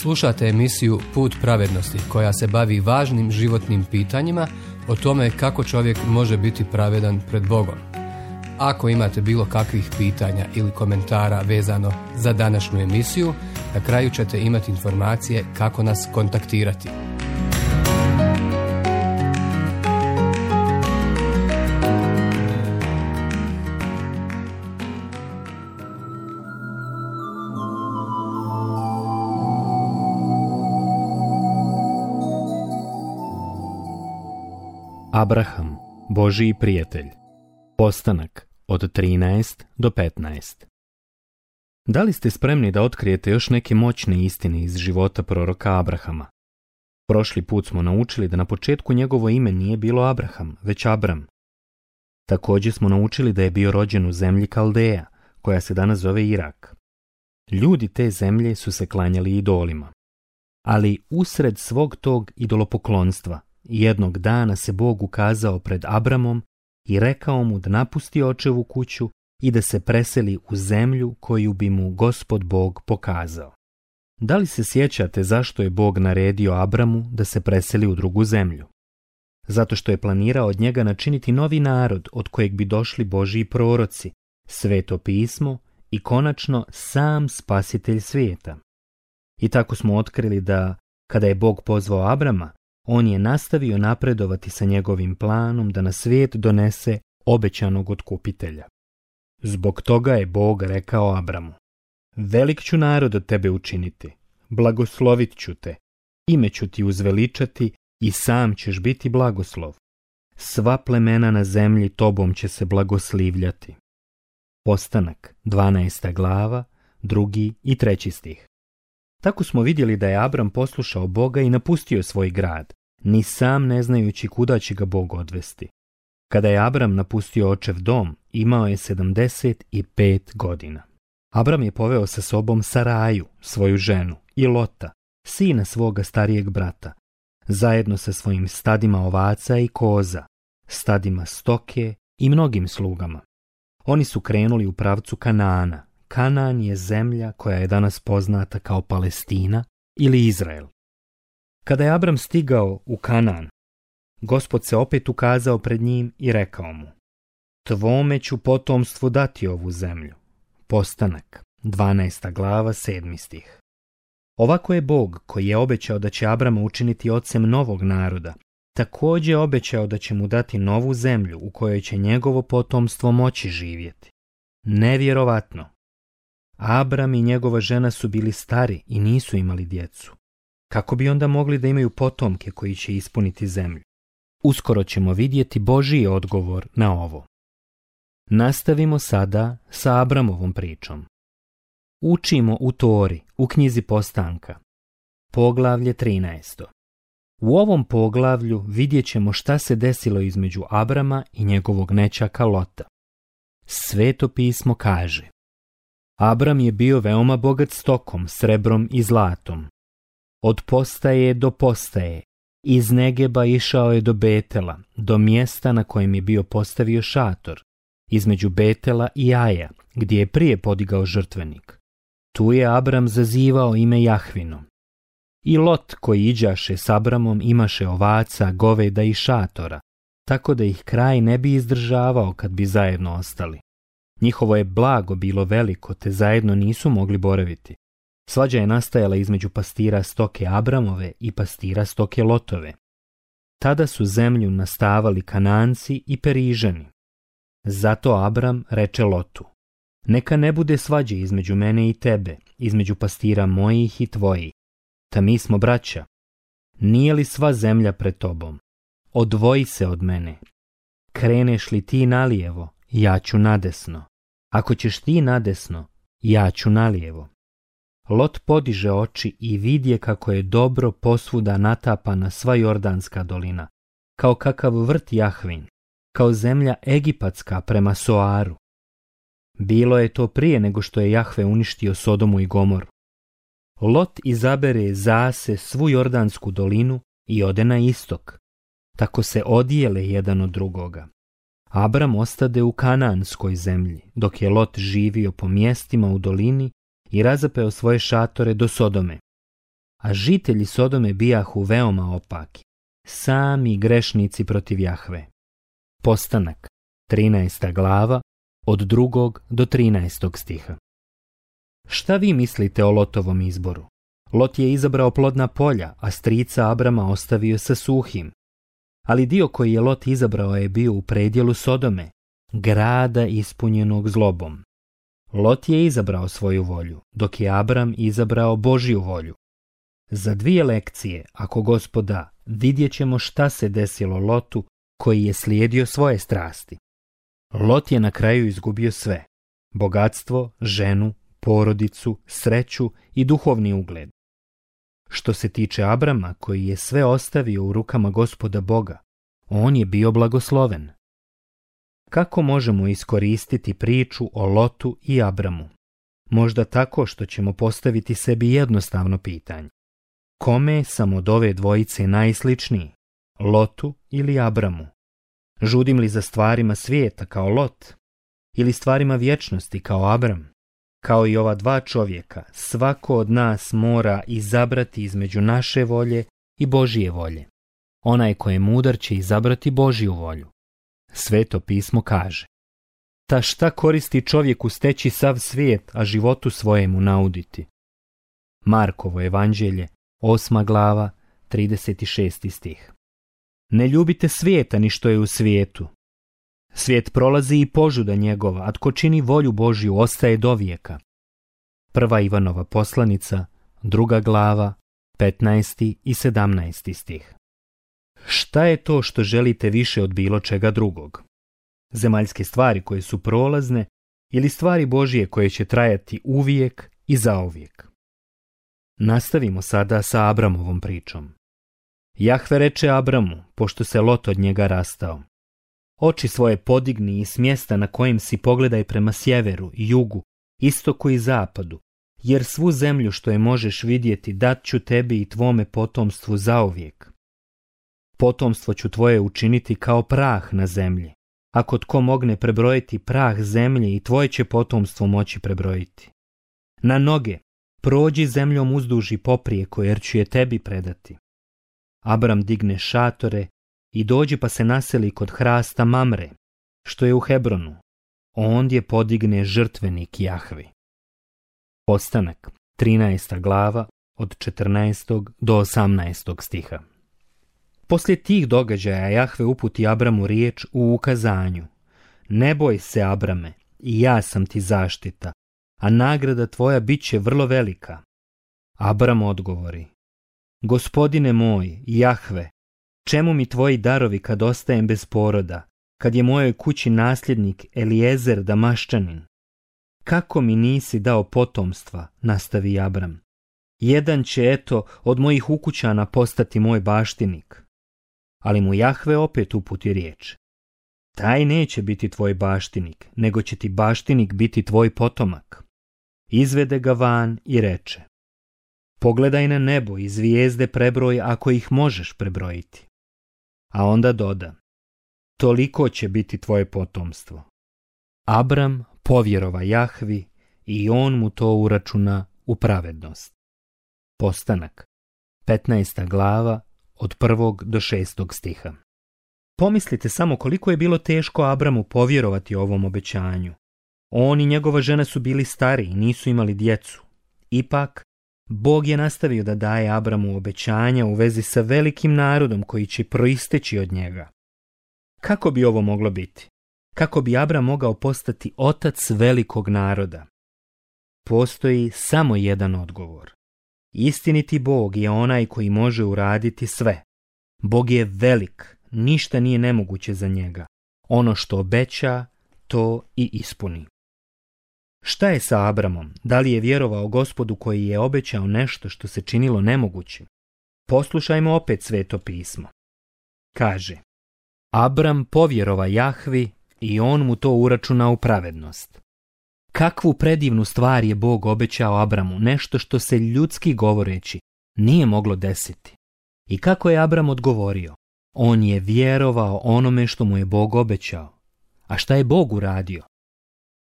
Slušate emisiju Put pravednosti koja se bavi važnim životnim pitanjima o tome kako čovjek može biti pravedan pred Bogom. Ako imate bilo kakvih pitanja ili komentara vezano za današnju emisiju, na kraju ćete imati informacije kako nas kontaktirati. Abraham, Božiji prijatelj. Postanak od 13 do 15. Da li ste spremni da otkrijete još neke moćne istine iz života proroka Abrahama? Prošli put smo naučili da na početku njegovo ime nije bilo Abraham, već Abram. Također smo naučili da je bio rođen u zemlji Kaldeja, koja se danas zove Irak. Ljudi te zemlje su se klanjali idolima. Ali usred svog tog idolopoklonstva, jednog dana se Bog ukazao pred Abramom i rekao mu da napusti očevu kuću i da se preseli u zemlju koju bi mu Gospod Bog pokazao. Da li se sjećate zašto je Bog naredio Abramu da se preseli u drugu zemlju? Zato što je planirao od njega načiniti novi narod od kojeg bi došli Božji proroci, Sveto pismo i konačno sam spasitelj svijeta. I tako smo otkrili da, kada je Bog pozvao Abrama, on je nastavio napredovati sa njegovim planom da na svijet donese obećanog otkupitelja. Zbog toga je Bog rekao Abramu: velik ću narod od tebe učiniti, blagoslovit ću te, ime ću ti uzveličati i sam ćeš biti blagoslov. Sva plemena na zemlji tobom će se blagoslivljati. Postanak, 12. glava, 2. i 3. stih. Tako smo vidjeli da je Abram poslušao Boga i napustio svoj grad, ni sam ne znajući kuda će ga Bog odvesti. Kada je Abram napustio očev dom, imao je 75 godina. Abram je poveo sa sobom Saraju, svoju ženu, i Lota, sina svoga starijeg brata, zajedno sa svojim stadima ovaca i koza, stadima stoke i mnogim slugama. Oni su krenuli u pravcu Kanaana. Kanaan je zemlja koja je danas poznata kao Palestina ili Izrael. Kada je Abram stigao u Kanaan, Gospod se opet ukazao pred njim i rekao mu: tvome ću potomstvu dati ovu zemlju. Postanak, 12. glava, 7. stih. Ovako je Bog, koji je obećao da će Abrama učiniti ocem novog naroda, također obećao da će mu dati novu zemlju u kojoj će njegovo potomstvo moći živjeti. Nevjerovatno! Abram i njegova žena su bili stari i nisu imali djecu. Kako bi onda mogli da imaju potomke koji će ispuniti zemlju? Uskoro ćemo vidjeti Božji odgovor na ovo. Nastavimo sada sa Abramovom pričom. Učimo u Tori, u knjizi Postanka. Poglavlje 13. U ovom poglavlju vidjet ćemo šta se desilo između Abrama i njegovog nećaka Lota. Sveto pismo kaže: Abram je bio veoma bogat stokom, srebrom i zlatom. Od postaje do postaje, iz Negeba išao je do Betela, do mjesta na kojem je bio postavio šator, između Betela i Aja, gdje je prije podigao žrtvenik. Tu je Abram zazivao ime Jahvino. I Lot, koji iđaše s Abramom, imaše ovaca, goveda i šatora, tako da ih kraj ne bi izdržavao kad bi zajedno ostali. Njihovo je blago bilo veliko, te zajedno nisu mogli boraviti. Svađa je nastajala između pastira stoke Abramove i pastira stoke Lotove. Tada su zemlju nastavali Kananci i Perižani. Zato Abram reče Lotu: neka ne bude svađe između mene i tebe, između pastira mojih i tvojih. Ta mi smo braća. Nije li sva zemlja pred tobom? Odvoji se od mene. Kreneš li ti nalijevo, ja ću nadesno. Ako ćeš ti nadesno, ja ću nalijevo. Lot podiže oči i vidje kako je dobro posvuda natapana sva Jordanska dolina, kao kakav vrt Jahvin, kao zemlja egipatska prema Soaru. Bilo je to prije nego što je Jahve uništio Sodomu i Gomoru. Lot izabere zase svu Jordansku dolinu i ode na istok. Tako se odijele jedan od drugoga. Abram ostade u Kanaanskoj zemlji, dok je Lot živio po mjestima u dolini i razapeo svoje šatore do Sodome. a žitelji Sodome bijahu veoma opaki, sami grešnici protiv Jahve. Postanak, 13. glava, od 2. do 13. stiha. Šta vi mislite o Lotovom izboru? Lot je izabrao plodna polja, a strica Abrama ostavio sa suhim. Ali dio koji je Lot izabrao je bio u predjelu Sodome, grada ispunjenog zlobom. Lot je izabrao svoju volju, dok je Abram izabrao Božju volju. Za 2 lekcije, ako Gospod da, vidjet ćemo šta se desilo Lotu koji je slijedio svoje strasti. Lot je na kraju izgubio sve: bogatstvo, ženu, porodicu, sreću i duhovni ugled. Što se tiče Abrama, koji je sve ostavio u rukama Gospoda Boga, on je bio blagosloven. Kako možemo iskoristiti priču o Lotu i Abramu? Možda tako što ćemo postaviti sebi jednostavno pitanje. Kome sam od ove dvojice najsličniji? Lotu ili Abramu? Žudim li za stvarima svijeta kao Lot? Ili stvarima vječnosti kao Abram? Kao i ova 2 čovjeka, svako od nas mora izabrati između naše volje i Božije volje. Onaj ko je mudar će izabrati Božju volju. Sveto pismo kaže: ta šta koristi čovjeku steći sav svijet, a životu svojemu nauditi? Markovo evanđelje, 8. glava, 36. stih. Ne ljubite svijeta ni što je u svijetu. Svijet prolazi i požuda njegova, a tko čini volju Božju ostaje dovijeka. 1. Ivanova poslanica, 2. glava, 15. i 17. stih. Šta je to što želite više od bilo čega drugog? Zemaljske stvari koje su prolazne ili stvari Božje koje će trajati uvijek i zauvijek? Nastavimo sada sa Abramovom pričom. Jahve reče Abramu, pošto se Lot od njega rastao: oči svoje podigni i s mjesta na kojem si pogledaj prema sjeveru i jugu, istoku i zapadu, jer svu zemlju što je možeš vidjeti dat ću tebi i tvome potomstvu zauvijek. Potomstvo ću tvoje učiniti kao prah na zemlji. Ako tko mogne prebrojiti prah zemlje, i tvoje će potomstvo moći prebrojiti. Na noge, prođi zemljom uzduž i poprijeko, jer ću je tebi predati. Abram digne šatore i dođi pa se naseli kod hrasta Mamre, što je u Hebronu. Ondje podigne žrtvenik Jahvi. Postanak, 13. glava, od 14. do 18. stiha. Poslije tih događaja Jahve uputi Abramu riječ u ukazanju: ne boj se, Abrame, i ja sam ti zaštita, a nagrada tvoja bit će vrlo velika. Abram odgovori: Gospodine moj, Jahve, čemu mi tvoji darovi kad ostajem bez poroda, kad je mojoj kući nasljednik Elijezer Damaščanin? Kako mi nisi dao potomstva, nastavi Abram. Jedan će, eto, od mojih ukućana postati moj baštinik. Ali mu Jahve opet uputi riječ: taj neće biti tvoj baštinik, nego će ti baštinik biti tvoj potomak. Izvede ga van i reče: pogledaj na nebo i zvijezde prebroj ako ih možeš prebrojiti. A onda doda: toliko će biti tvoje potomstvo. Abram povjerova Jahvi i on mu to uračuna u pravednost. Postanak, 15. glava, od 1. do 6. stiha. Pomislite samo koliko je bilo teško Abramu povjerovati ovom obećanju. On i njegova žena su bili stari i nisu imali djecu. Ipak, Bog je nastavio da daje Abramu obećanja u vezi sa velikim narodom koji će proisteći od njega. Kako bi ovo moglo biti? Kako bi Abram mogao postati otac velikog naroda? Postoji samo jedan odgovor. Istiniti Bog je onaj koji može uraditi sve. Bog je velik, ništa nije nemoguće za njega. Ono što obeća, to i ispuni. Šta je sa Abramom? Da li je vjerovao Gospodu koji je obećao nešto što se činilo nemogućim? Poslušajmo opet Sveto pismo. Kaže: Abram povjerova Jahvi i on mu to uračuna u pravednost. Kakvu predivnu stvar je Bog obećao Abramu, nešto što se ljudski govoreći nije moglo desiti. I kako je Abram odgovorio? On je vjerovao onome što mu je Bog obećao. A šta je Bog uradio?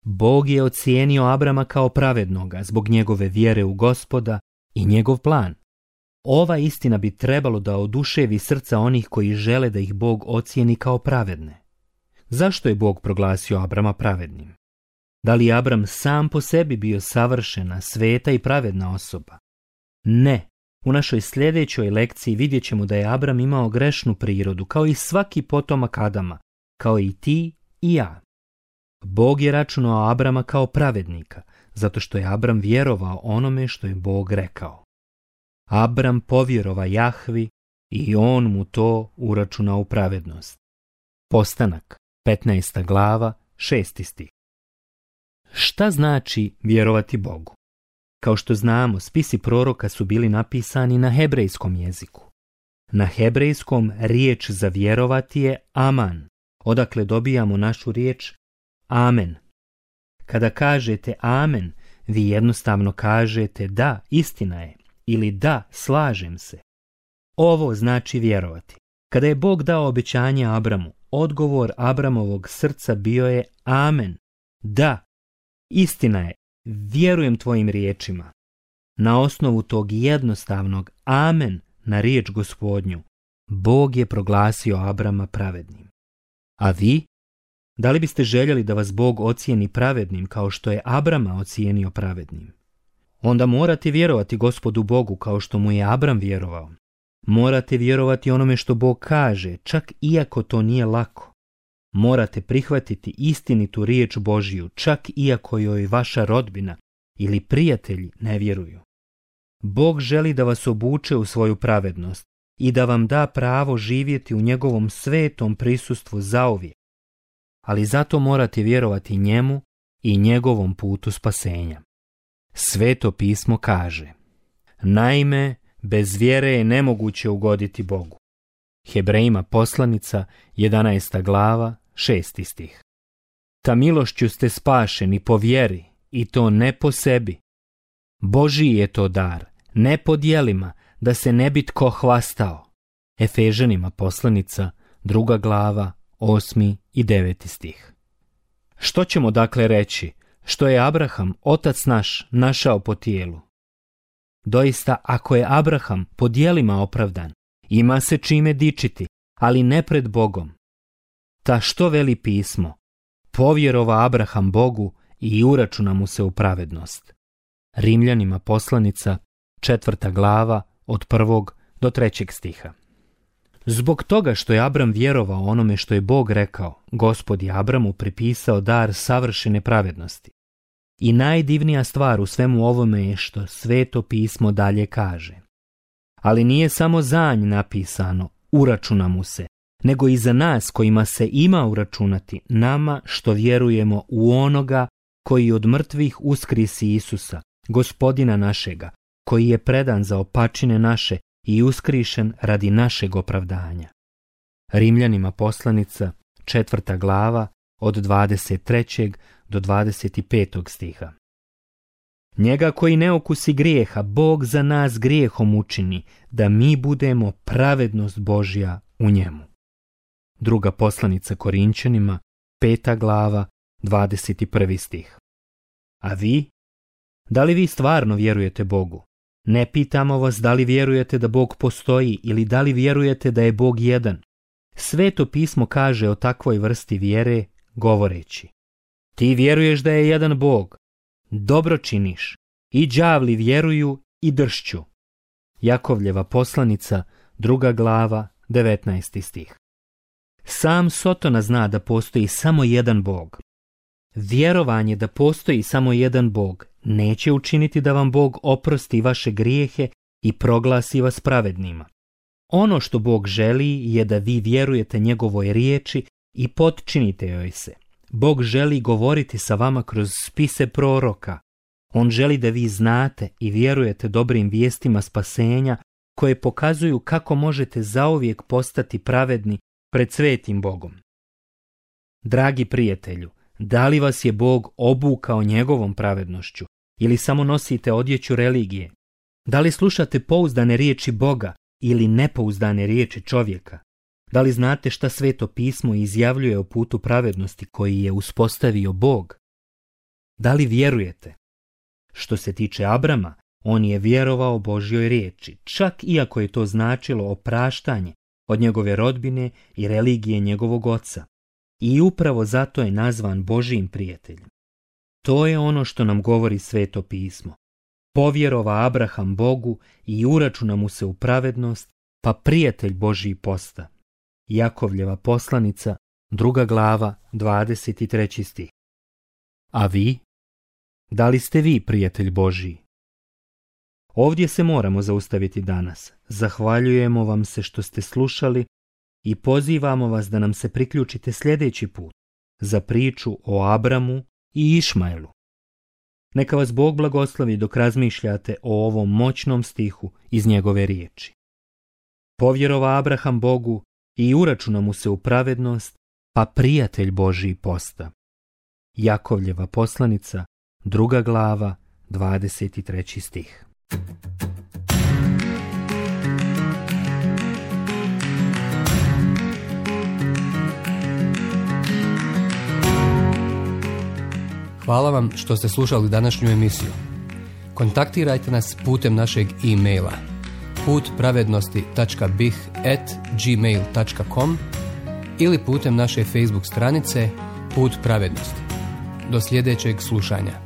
Bog je ocijenio Abrama kao pravednoga zbog njegove vjere u Gospoda i njegov plan. Ova istina bi trebalo da oduševi srca onih koji žele da ih Bog ocijeni kao pravedne. Zašto je Bog proglasio Abrama pravednim? Da li je Abram sam po sebi bio savršena, sveta i pravedna osoba? Ne. U našoj sljedećoj lekciji vidjet ćemo da je Abram imao grešnu prirodu, kao i svaki potomak Adama, kao i ti i ja. Bog je računao Abrama kao pravednika, zato što je Abram vjerovao onome što je Bog rekao. Abram povjerova Jahvi i on mu to uračunao u pravednost. Postanak, 15. glava, 6. stih. Šta znači vjerovati Bogu? Kao što znamo, spisi proroka su bili napisani na hebrejskom jeziku. Na hebrejskom riječ za vjerovati je aman, odakle dobijamo našu riječ amen. Kada kažete amen, vi jednostavno kažete da, istina je, ili da, slažem se. Ovo znači vjerovati. Kada je Bog dao obećanje Abramu, odgovor Abramovog srca bio je amen, da, istina je, vjerujem tvojim riječima. Na osnovu tog jednostavnog amen na riječ Gospodnju, Bog je proglasio Abrama pravednim. A vi? Da li biste željeli da vas Bog ocijeni pravednim kao što je Abrama ocijenio pravednim? Onda morate vjerovati Gospodu Bogu kao što mu je Abram vjerovao. Morate vjerovati onome što Bog kaže, čak iako to nije lako. Morate prihvatiti istinitu riječ Božiju, čak iako joj vaša rodbina ili prijatelji ne vjeruju. Bog želi da vas obuče u svoju pravednost i da vam da pravo živjeti u njegovom svetom prisustvu zauvijek. Ali zato morate vjerovati njemu i njegovom putu spasenja. Sveto pismo kaže: naime, bez vjere je nemoguće ugoditi Bogu. Hebrejima poslanica, 11. glava, 6. stih. Ta milošću ste spašeni po vjeri, i to ne po sebi. Božji je to dar, ne po djelima, da se ne bi tko hvastao. Efežanima poslanica, 2. glava, 8. i 9. stih. Što ćemo dakle reći, što je Abraham, otac naš, našao po tijelu? Doista, ako je Abraham po djelima opravdan, ima se čime dičiti, ali ne pred Bogom. Ta što veli pismo? Povjerova Abraham Bogu i uračuna mu se u pravednost. Rimljanima poslanica, 4. glava, od 1. do 3. stiha. Zbog toga što je Abram vjerovao onome što je Bog rekao, Gospod je Abramu pripisao dar savršene pravednosti. I najdivnija stvar u svemu ovome je što Sveto pismo dalje kaže: ali nije samo za nj napisano, uračuna mu se, nego i za nas kojima se ima uračunati, nama što vjerujemo u onoga koji od mrtvih uskrisi Isusa, Gospodina našega, koji je predan za opačine naše i uskrišen radi našeg opravdanja. Rimljanima poslanica, 4. glava, od 23. do 25. stiha. Njega koji ne okusi grijeha, Bog za nas grijehom učini, da mi budemo pravednost Božja u njemu. Druga poslanica Korinčanima, 5. glava, 21. stih. A vi? Da li vi stvarno vjerujete Bogu? Ne pitamo vas da li vjerujete da Bog postoji ili da li vjerujete da je Bog jedan. Sveto pismo kaže o takvoj vrsti vjere govoreći: ti vjeruješ da je jedan Bog, dobro činiš, i đavli vjeruju i dršću. Jakovljeva poslanica, 2. glava, 19. stih. Sam Sotona zna da postoji samo jedan Bog. Vjerovanje da postoji samo jedan Bog neće učiniti da vam Bog oprosti vaše grijehe i proglasi vas pravednima. Ono što Bog želi je da vi vjerujete njegovoj riječi i potčinite joj se. Bog želi govoriti sa vama kroz spise proroka. On želi da vi znate i vjerujete dobrim vijestima spasenja koje pokazuju kako možete zauvijek postati pravedni pred svetim Bogom. Dragi prijatelju, da li vas je Bog obukao njegovom pravednošću ili samo nosite odjeću religije? Da li slušate pouzdane riječi Boga ili nepouzdane riječi čovjeka? Da li znate šta Sveto pismo izjavljuje o putu pravednosti koji je uspostavio Bog? Da li vjerujete? Što se tiče Abrama, On je vjerovao Božjoj riječi, čak iako je to značilo opraštanje od njegove rodbine i religije njegovog oca. I upravo zato je nazvan Božjim prijateljem. To je ono što nam govori Sveto pismo. Povjerova Abraham Bogu i uračuna mu se u pravednost, pa prijatelj Božji posta. Jakovljeva poslanica, 2. glava, 23. stih. A vi? Da li ste vi prijatelj Božji? Ovdje se moramo zaustaviti danas. Zahvaljujemo vam se što ste slušali i pozivamo vas da nam se priključite sljedeći put za priču o Abramu i Išmaelu. Neka vas Bog blagoslovi dok razmišljate o ovom moćnom stihu iz njegove riječi. Povjerova Abraham Bogu i uračuna mu se u pravednost, pa prijatelj Božji posta. Jakovljeva poslanica, 2. glava, 23. stih. Hvala vam što ste slušali današnju emisiju. Kontaktirajte nas putem našeg e-maila putpravednosti.bih@gmail.com ili putem naše Facebook stranice Put pravednosti. Do sljedećeg slušanja.